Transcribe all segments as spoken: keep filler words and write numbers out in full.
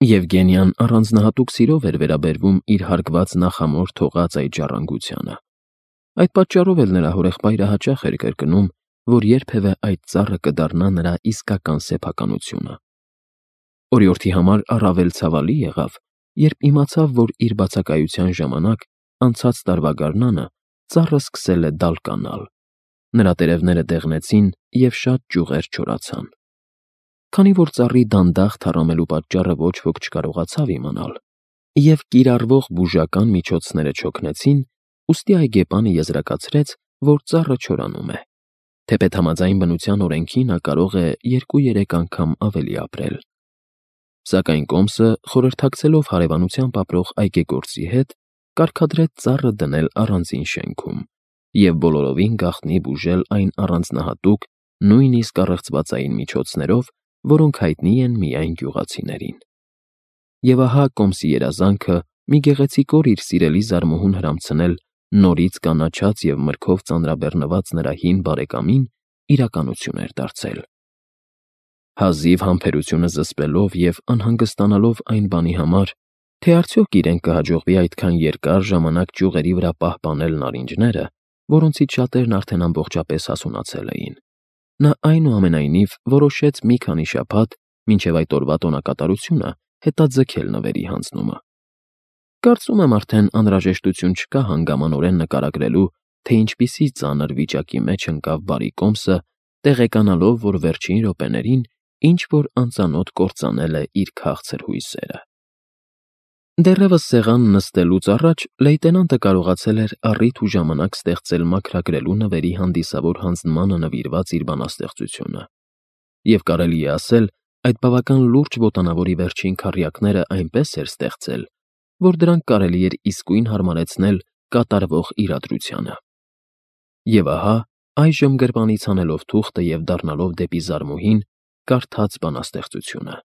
Եվգենիան առանձնահատուկ սիրով էր վերաբերվում իր հարգված նախամոր թողած այդ ժառանգությանը։ Այդ պատճառով էլ նրա հորեղբայրը հաճախ էր կրկնում, որ երբևէ այդ ծառը կդառնա նրա իսկական սեփականությունը։ Օրիորդի համար առավել ցավալի եղավ, երբ իմացավ, որ իր բացակայության ժամանակ անցած տարվա գարնանը ծառը սկսել է դալկանալ։ Նրա տերևները դեղնեցին և շատ ճյուղեր չորացան։ Քանի որ ծառի դանդաղ թառամելու պատճառը ոչ ոք չկարողացավ իմանալ, և կիրառվող բուժական միջոցները չօգնեցին, ուստի այգեպանը եզրակացրեց, որ ծառը չորանում է։ Թեպետ համաձայն բնության օրենքի նա կարող է երկու֊երեք անգամ ավելի ապրել։ Սակայն կոմսը, խորհրդակցելով հարևանությամբ ապրող այգեգործի հետ, կարգադրեց ծառը դնել առանձին շենքում և բոլորովին գաղտնի բուժել այն առանձնահատուկ, նույնիսկ առեղծվածային միջոցներով, որոնք հայտնի են միայն գյուղացիներին։ Եվ ահա կոմսի երազանքը մի գեղեցիկ օր իր սիրելի զարմուհուն հրամցնել նորից կանաչած և մրգով ծանրաբեռնված նրա հին բարեկամին իրականություն էր դարձել։ Հազիվ համբերությունը զսպելով և անհանգստանալով այն բանի համար, թե արդյոք իրեն կհաջողվի այդքան երկար ժամանակ ճյուղերի վրա պահպանել նարինջները, որոնցից շատերն արդեն ամբողջապես հասունացել էին, նա այնուամենայնիվ որոշեց մի քանի շաբաթ, մինչև այդ օրվա տոնակատարությունը, հետաձգել նվերի հանձնումը։ Կարծում եմ արդեն անհրաժեշտություն չկա հանգամանորեն նկարագրելու, թե ինչպիսի ծանր վիճակի մեջ ընկավ բարի կոմսը, տեղեկանալով, որ վերջին րոպեներին ինչ-որ անծանոթ կործանել է իր քաղցր հույսերը։ Դեռևս սեղան նստելուց առաջ լեյտենանտը կարողացել էր առիթ ու ժամանակ ստեղծել մաքրագրելու նվերի հանդիսավոր հանձնմանը նվիրված իր բանաստեղծությունը, և կարելի է ասել, այդ բավական լուրջ ոտանավորի վերջին քառյակները այնպես էր ստեղծել, որ դրանք կարելի էր իսկույն հարմարեցնել կատարվող իրադրությանը։ Եվ ահա, այժմ գրպանից հանելով թուղթը և դառնալով դեպի զարմուհին, կարդաց բանաստեղծությունը։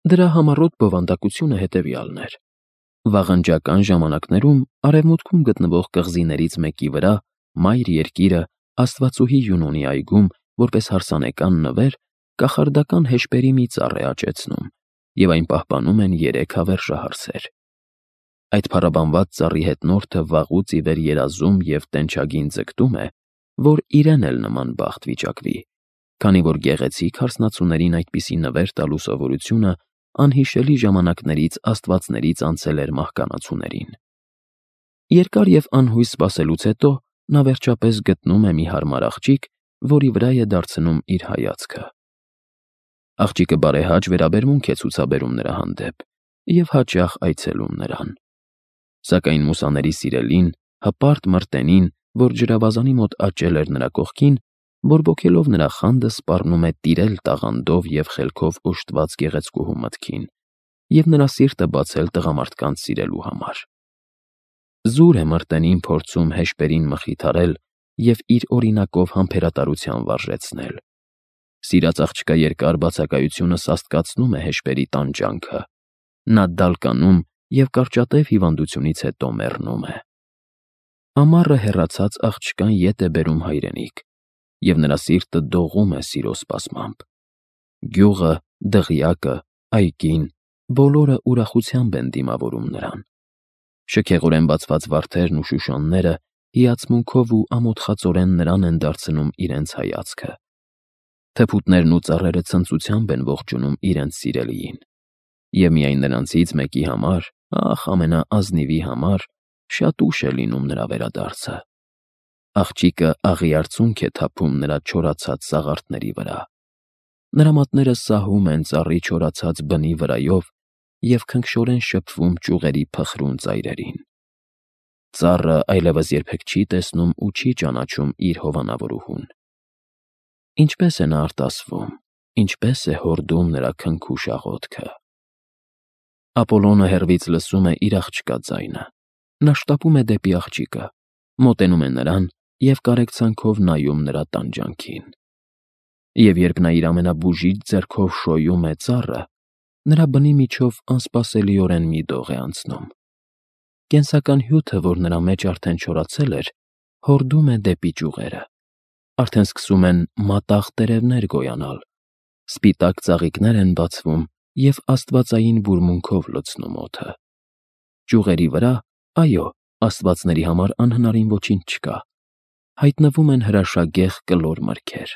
Դրա համառոտ բովանդակությունը հետևյալն էր. վաղնջական ժամանակներում արևմուտքում գտնվող կղզիներից մեկի վրա մայր երկիրը աստվածուհի Յունոնի այգում, որպես հարսանեկան նվեր, կախարդական հեշպերի մի ծառ է աճեցնում, և այն պահպանում են երեք հավերժահարսեր։ Այդ փառաբանված ծառի հետնորդը վաղուց ի վեր երազում և տենչագին ձգտում է, որ իրեն էլ նման բախտ վիճակվի, քանի որ գեղեցիկ հարսնացուներին այդպիսի նվեր տալու սովորությունը անհիշելի ժամանակներից աստվածներից անցել էր մահկանացուներին։ Երկար և անհույս սպասելուց հետո նա վերջապես գտնում է մի հարմար աղջիկ, որի վրա է դարձնում իր հայացքը։ Աղջիկը բարեհաճ վերաբերմունք է ցուցաբերում նրա հանդեպ և հաճախ այցելում նրան։ Սակայն մուսաների սիրելին, հպարտ մրտենին, որ ջրավազանի մոտ աճել էր նրա կողքին, բորբոքելով նրա խանդը, սպառնում է տիրել տաղանդով և խելքով օժտված գեղեցկուհու մտքին և նրա սիրտը բացել տղամարդկանց սիրելու համար։ Զուր է մրտենին փորձում հեշպերին մխիթարել և իր օրինակով համբերատարության վարժեցնել։ Սիրած աղջկա երկար բացակայությունը սաստկացնում է հեշպերի տանջանքը։ Նա դալկանում և կարճատև հիվանդությունից հետո մեռնում է։ Ամառը հեռացած աղջկան ետ է բերում հայրենիք, և նրա սիրտը դողում է սիրո սպասմամբ։ Գյուղը, դղյակը, այգին, բոլորը ուրախությամբ են դիմավորում նրան։ Շքեղորեն բացված վարդերն ու շուշանները հիացմունքով ու ամոթխածորեն նրան են դարձնում իրենց հայացքը։ Թփուտներն ու ծառերը ցնծությամբ են ողջունում իրենց սիրելիին։ Եվ միայն նրանցից մեկի համար, ախ, ամենաազնիվի համար, շատ ուշ է լինում նրա վերադարձը։ Աղջիկը աղի արցունք է թափում նրա չորացած սաղարթների վրա։ Նրա մատները սահում են ծառի չորացած բնի վրայով և քնքշորեն շփվում ճյուղերի փխրուն ծայրերին։ Ծառը այլևս երբեք չի տեսնում ու չի ճանաչում իր հովանավորուհուն։ Ինչպես է նա արտասվում, ինչպես է հորդում նրա քնքուշ աղոթքը։ Ապոլոնը հեռվից լսում է իր աղջկա ձայնը։ Նա շտապում է դեպի աղջիկը, մոտենում է նրան և կարեկցանքով նայում նրա տանջանքին։ Եվ երբ նա իր ամենաբուժիչ ձեռքով շոյում է ծառը, նրա բնի միջով անսպասելիորեն մի դող է անցնում։ Կենսական հյութը, որ նրա մեջ արդեն չորացել էր, հորդում է դեպի ճյուղերը։ Արդեն սկսում են մատաղ տերևներ գոյանալ, սպիտակ ծաղիկներ են բացվում և աստվածային բուրմունքով լցնում օդը։ Ճյուղերի վրա, այո, աստվածների համար անհնարին ոչինչ չկա, հայտնվում են հրաշագեղ կլոր մրգեր։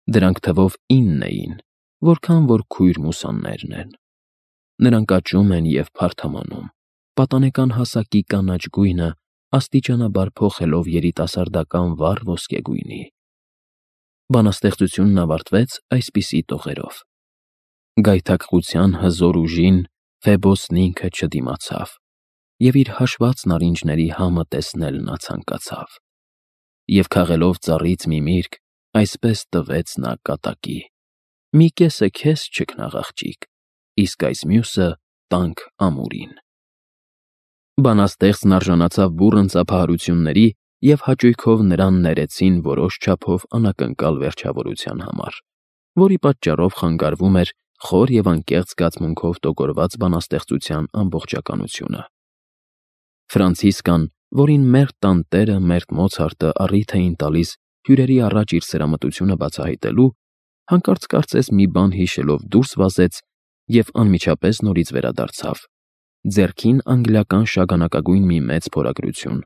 Դրանք թվով ինն էին, որքան որ քույր մուսաններն են։ Նրանք աճում են և փարթամանում, պատանեկան հասակի կանաչ գույնը աստիճանաբար փոխելով երիտասարդական վառ ոսկեգույնի։ Բանաստեղծությունն ավարտվեց այսպիսի տողերով. Գայթակղության հզոր ուժին Ֆեբոսն ինքը չդիմացավ, և իր հաշված նարինջների համը տեսնել նա ցանկացավ, և քաղելով ծառից մի միրգ, այսպես տվեց նա կատակի. մի կեսը քեզ, չքնաղ աղջիկ, իսկ այս մյուսը տանք ամուրին։ Բանաստեղծն արժանացավ բուռն ծափահարությունների և հաճույքով նրան ներեցին որոշ չափով անակնկալ վերջավորության համար, որի պատճառով խանգարվում էր խոր և անկեղծ զգացմունքով տոգորված բանաստեղծության ամբողջականությունը։ Ֆրանցիսկան, որին մերթ տանտերը մերթ Մոցարտը առիթ էին տալիս հյուրերի առաջ իր սրամտությունը բացահայտելու, հանկարծ կարծես մի բան հիշելով դուրս վազեց և անմիջապես նորից վերադարձավ, ձեռքին անգլիական շագանակագույն մի մեծ փորագրություն,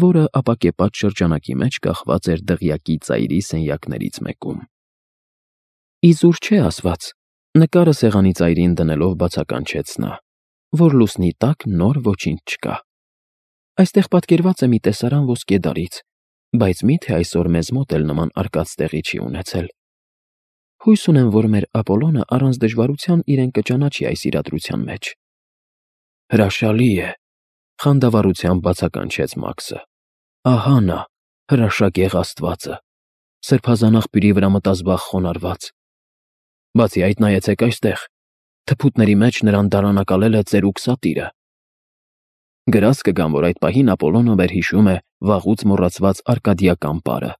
որը ապակեպած շրջանակի մեջ կախված էր դղյակի ծայրի սենյակներից մեկում։ Իզուր չէ ասված, նկարը սեղանի ծայրին դնելով բացականչեց նա, որ լուսնի տակ նոր ոչինչ չկա։ Այստեղ պատկերված է մի տեսարան ոսկեդարից, բայց մի՞թե այսօր մեզ մոտ էլ նման արկած տեղի չի ունեցել։ Հույս ունեմ, որ մեր Ապոլոնը առանց դժվարության իրեն կճանաչի այս իրադրության մեջ։ Հրաշալի է, խանդավառությամբ բացականչեց Մաքսը։ Ահա նա, հրաշագեղ աստվածը, սրբազան աղբյուրի վրա մտազբաղ խոնարհված։ Բացի այդ, նայեցեք այստեղ, թփուտների մեջ նրան դարանակալել է ծերուկ սատիրը։ Գրած կգամ, որ այդ պահին Ապոլոնը վերհիշում է վաղուց մոռացված արկադիական պարը,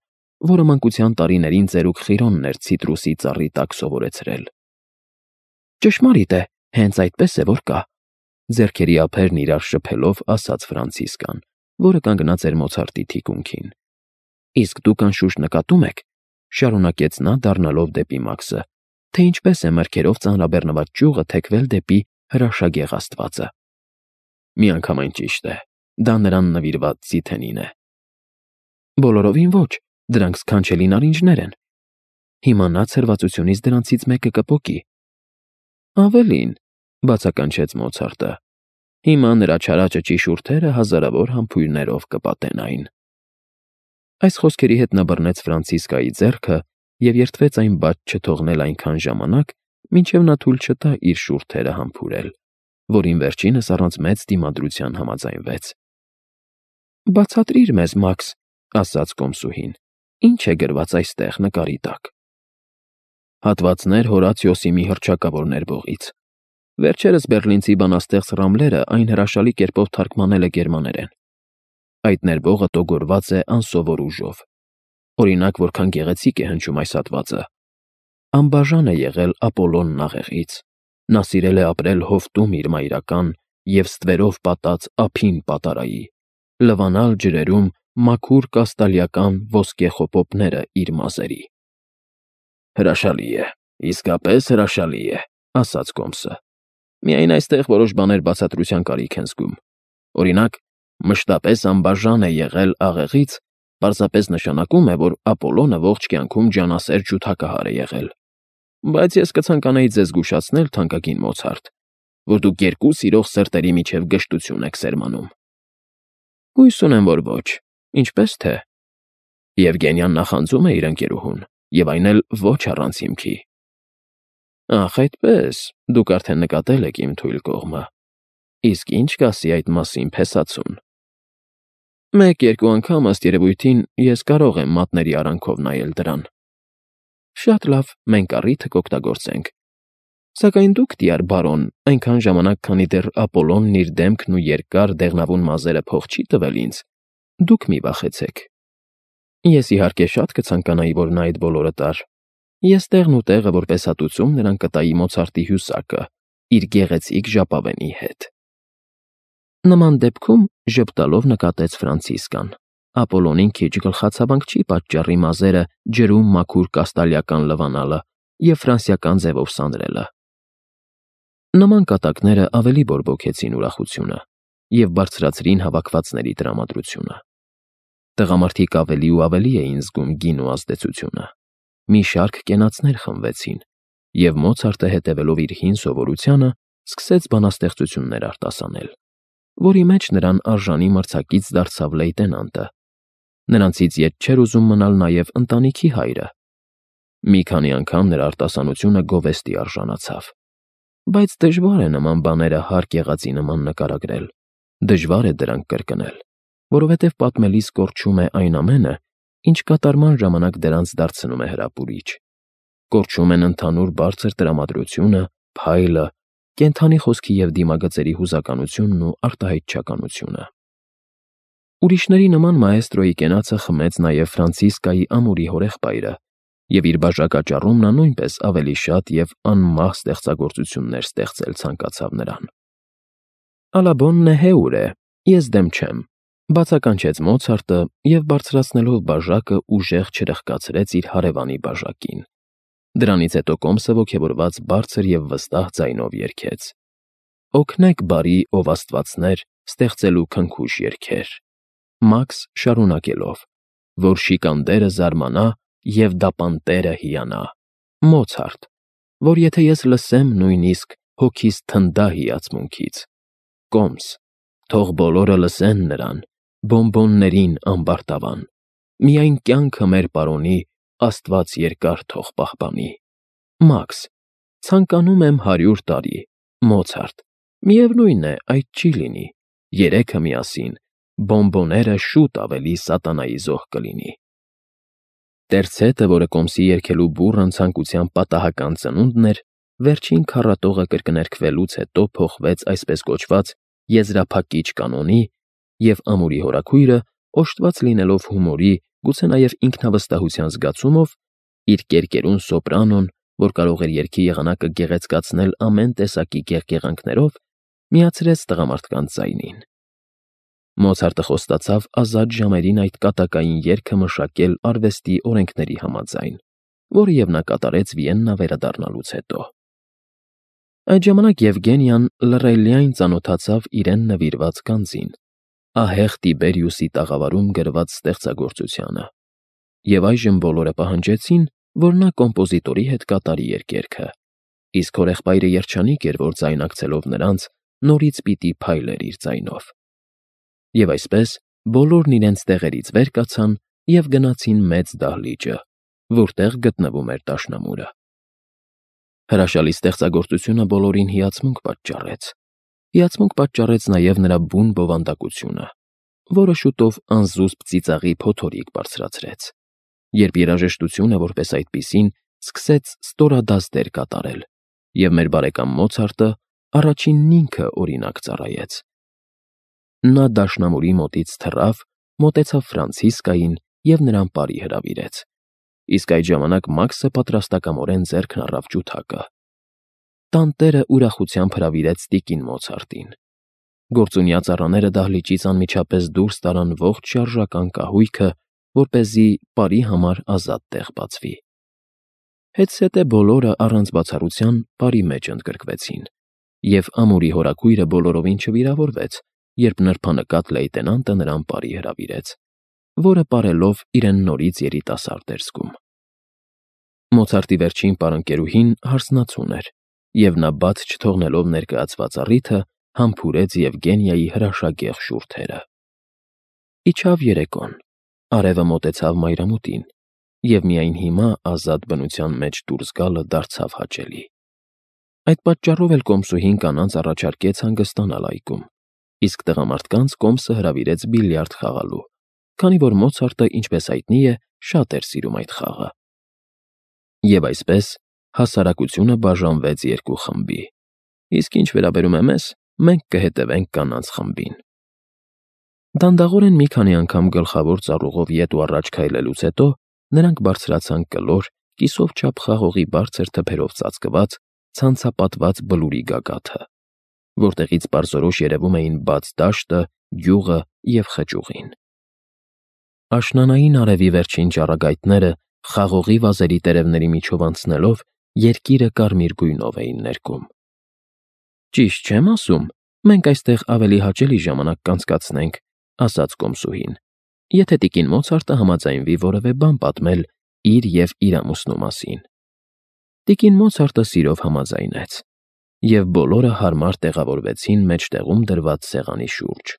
որը մանկության տարիներին ծերուկ Խիրոնն էր ցիտրուսի ծառի տակ սովորեցրել։ Ճշմարիտ է, հենց այդպես է, որ կա, ձեռքերի ափերն իրար շփելով ասաց Ֆրանցիսկան, որը կանգնած էր Մոցարտի թիկունքին։ Իսկ դուք անշուշտ նկատում եք, շարունակեց նա դառնալով դեպի Մաքսը, թե ինչպես է մրգերով ծանրաբեռնված ճյուղը թեքվել դեպի հրաշագեղ աստվածը։ Միանգամայն ճիշտ է, դա նրան նվիրված Ձիթենին է։ Բոլորովին ոչ, դրանք սքանչելի նարինջներ են։ Հիմա նա ցրվածությունից դրանցից մեկը կպոկի։ Ավելին, բացականչեց Մոցարտը, հիմա նրա չարաճճի շուրթերը հազարավոր համբույրներով կպատեն այն։ Այս խոսքերի հետ նա բռնեց Ֆրանցիսկայի ձեռքը և երդվեց այն բաց չթողնել այնքան ժամանակ, մինչև նա թույլ չտա իր շուրթերը համբուրել, որին վերջինս առանց մեծ դիմադրության համաձայնվեց։ Բացատրիր մեզ, Մաքս, ասաց կոմսուհին, ինչ է գրված այստեղ նկարի տակ։ Հատվածներ Հորացիոսի մի հռչակավոր ներբողից։ Վերջերս բեռլինցի բանաստեղծ Ռամլերը այն հրաշալի կերպով թարգմանել է գերմաներեն։ Այդ ներբողը տոգորված է անսովոր ուժով։ Օրինակ, որքան գեղեցիկ է հնչում այս հատվածը։ Անբաժան է եղել Ապոլոնն աղեղից։ Նա սիրել է ապրել հովտում իր մայրական և ստվերով պատած ափին պատարայի, լվանալ ջրերում մաքուր կաստալիական ոսկե խոպոպները իր մազերի։ Հրաշալի է, իսկապես հրաշալի է, ասաց կոմսը։ Միայն այստեղ որոշ բաներ բացատրության կարիք են զգում։ Օրինակ, մշտապես անբաժան է եղել աղեղից, պարզապես նշանակում է, որ Ապոլոնը ողջ կյանքում ջանասեր ջութակահար է եղել։ Բայց ես կցանկանայի ձեզ զգուշացնել, թանկագին Մոցարտ, որ դուք երկու սիրող սրտերի միջև գժտություն եք սերմանում։ Հույս ունեմ, որ ոչ, ինչպես թե։ Եվգենիան նախանձում է իր ընկերուհուն, և այն էլ ոչ առանց հիմքի։ Ախ, այդպես, դուք արդեն նկատել եք իմ թույլ կողմը։ Իսկ ինչ կասի այդ մասին փեսացուն։ Մեկ-երկու անգամ ըստ երևույթին ես կարող եմ մատների արանքով նայել դրան։ Շատ լավ, մենք առիթը կօգտագործենք։ Սակայն դուք, դիար բարոն, այնքան ժամանակ, քանի դեռ Ապոլոնն իր դեմքն ու երկար դեղնավուն մազերը փող չի տվել ինձ, դուք մի վախեցեք։ Ես իհարկե շատ կցանկանայի, որ նա այդ բոլորը տար։ Ես տեղն ու տեղը որպես հատուցում նրան կտայի Մոցարտի հյուսակը, իր գեղեցիկ ժապավենի հետ։ Նման դեպքում, ժպտալով նկատեց Ֆրանցիսկան, Ապոլոնին քիչ գլխացավանք չի պատճառի մազերը ջրում մաքուր կաստալիական լվանալը և ֆրանսիական ձևով սանրելը։ Նման կատակները ավելի բորբոքեցին ուրախությունը և բարձրացրին հավաքվածների տրամադրությունը։ Տղամարդիկ ավելի ու ավելի էին զգում գինու ազդեցությունը։ Մի շարք կենացներ խմվեցին, և Մոցարտը, հետևելով իր հին սովորությանը, սկսեց բանաստեղծություններ արտասանել, որի մեջ նրան արժանի մրցակից դարձավ լեյտենանտը։ Նրանցից ետ չէր ուզում մնալ նաև ընտանիքի հայրը։ Մի քանի անգամ նրա արտասանությունը գովեստի արժանացավ։ Բայց դժվար է նման բաները հարկ եղածի նման նկարագրել, դժվար է դրանք կրկնել, որովհետև պատմելիս կորչում է այն ամենը, ինչ կատարման ժամանակ դրանց դարձնում է հրապուրիչ։ Կորչում են ընդհանուր բարձր տրամադրությունը, փայլը, կենդանի խոսքի և դիմագծերի հուզականությունն ու արտահայտչականությունը։ Ուրիշների նման մաեստրոյի կենացը խմեց նաև Ֆրանցիսկայի ամուրի հորեղբայրը, և իր բաժակաճառում նա նույնպես ավելի շատ և անմահ ստեղծագործություններ ստեղծել ցանկացավ նրան։ «Ալա բոննե հեուր է, ես դեմ չեմ», բացականչեց Մոցարտը և բարձրացնելով բաժակը ուժեղ չրխկացրեց իր հարևանի բաժակին։ Դրանից հետո կոմսը ոգևորված բարձր և վստահ ձայնով երգեց. «Օգնեք բարի, ով աստվածներ, ստեղծելու քնքուշ երգեր», Մաքս շարունակելով. «Որ շիկանդերը զարմանա և դապանտերը հիանա», Մոցարտ. «Որ եթե ես լսեմ, նույնիսկ հոգիս թնդա հիացմունքից», Կոմս. «Թող բոլորը լսեն նրան, բոմբոններին ամբարտավան, միայն կյանքը մեր պարոնի Աստված երկար թող պահպանի», Մաքս. «Ցանկանում եմ հարյուր տարի», Մոցարտ. «Միևնույն է, այդ չի լինի, երեքը միասին, բոմբոները շուտ ավելի սատանայի զոհ կլինի»։ Տերցետը, որը կոմսի երգելու բուռն ցանկության պատահական ծնունդն էր, վերջին քառատողը կրկներգվելուց հետո փոխվեց այսպես կոչված եզրափակիչ կանոնի, և ամուրի հորաքույրը, օժտված լինելով հումորի, գուցե նաև ինքնավստահության զգացումով, իր կերկերուն սոպրանոն, որ կարող էր երգի եղանակը գեղեցկացնել ամեն տեսակի կեղկեղանքներով, միացրեց տղամարդկանց ձայնին։ Մոցարտը խոստացավ ազատ ժամերին այդ կատակային երգը մշակել արվեստի օրենքների համաձայն, որը և նա կատարեց Վիեննա վերադառնալուց հետո։ Այդ ժամանակ Եվգենիան լռելիայն ծանոթացավ իրեն նվիրված գանձին, ահեղ Տիբերիուսի տաղավարում գրված ստեղծագործությանը, և այժմ բոլորը պահանջեցին, որ նա կոմպոզիտորի հետ կատարի երկերքը, իսկ հորեղբայրը երջանիկ էր, որ ձայնակցելով նրանց, նորից պիտի փայլեր իր ձայնով։ Եվ այսպես բոլորն իրենց տեղերից վեր կացան և գնացին մեծ դահլիճը, որտեղ գտնվում էր դաշնամուրը։ Հրաշալի ստեղծագործությունը բոլորին հիացմունք պատճառեց։ Հիացմունք պատճառեց նաև նրա բուն բովանդակությունը, որը շուտով անզուսպ ծիծաղի փոթորիկ բարձրացրեց, երբ երաժշտությունը, որպես այդպիսին, սկսեց ստորադասեր կատարել, և մեր բարեկամ Մոցարտը առաջինն ինքը օրինակ ծառայեց։ Նա դաշնամուրի մոտից թռավ, մոտեցավ Ֆրանցիսկային և նրան բարի հրավիրեց, իսկ այդ ժամանակ Մաքսը պատրաստակամորեն ձեռքն առավ ջութակը։ Տանտերը ուրախությամբ հրավիրեց տիկին Մոցարտին։ Գործունյա ծառաները դահլիճից անմիջապես դուրս տարան ողջ շարժական կահույքը, որպեսզի պարի համար ազատ տեղ բացվի։ Հետզհետե բոլորը առանց բացառության պարի մեջ ընդգրկվեցին, և ամուրի հորաքույրը բոլորովին չվիրավորվեց, երբ նրբանկատ լեյտենանտը նրան պարի հրավիրեց, որը պարելով իրեն նորից երիտասարդ էր զգում։ Մոցարտի վերջին պարընկերուհին հարսնացուն էր, և նա բաց չթողնելով ներկայացված առիթը, համբուրեց Եվգենիայի հրաշագեղ շուրթերը։ Իջավ երեկոն, արևը մոտեցավ մայրամուտին, և միայն հիմա ազատ բնության մեջ դուրս գալը դարձավ հաճելի։ Այդ պատճառով էլ կոմսուհին կանանց առաջարկեց հանգստանալ այգում, իսկ տղամարդկանց կոմսը հրավիրեց բիլիարդ խաղալու, քանի որ Մոցարտը, ինչպես հայտնի է, շատ էր սիրում այդ խաղը։ Եվ այսպես հասարակությունը բաժանվեց երկու խմբի, իսկ ինչ վերաբերում է մեզ, մենք կհետևենք կանանց խմբին։ Դանդաղորեն մի քանի անգամ գլխավոր ծառուղով ետ ու առաջ քայլելուց հետո նրանք բարձրացան կլոր, կիսով չափ խաղողի բարձր թփերով ծածկված, ցանցապատված բլուրի գագաթը, որտեղից պարզորոշ երևում էին բաց դաշտը, գյուղը և խճուղին։ Աշնանային արևի վերջին ճառագայթները խաղողի վազերի տերևների միջով անցնելով երկիրը կարմիր գույնով էին ներկում։ Ճիշտ չեմ ասում, մենք այստեղ ավելի հաճելի ժամանակ կանցկացնենք,֊ ասաց կոմսուհին,֊ եթե տիկին Մոցարտը համաձայնվի որևէ բան պատմել իր և իր ամուսնու մասին»։ Տիկին Մոցարտը սիրով համաձայնեց, և բոլորը հարմար տեղավորվեցին մեջտեղում դրված սեղանի շուրջ։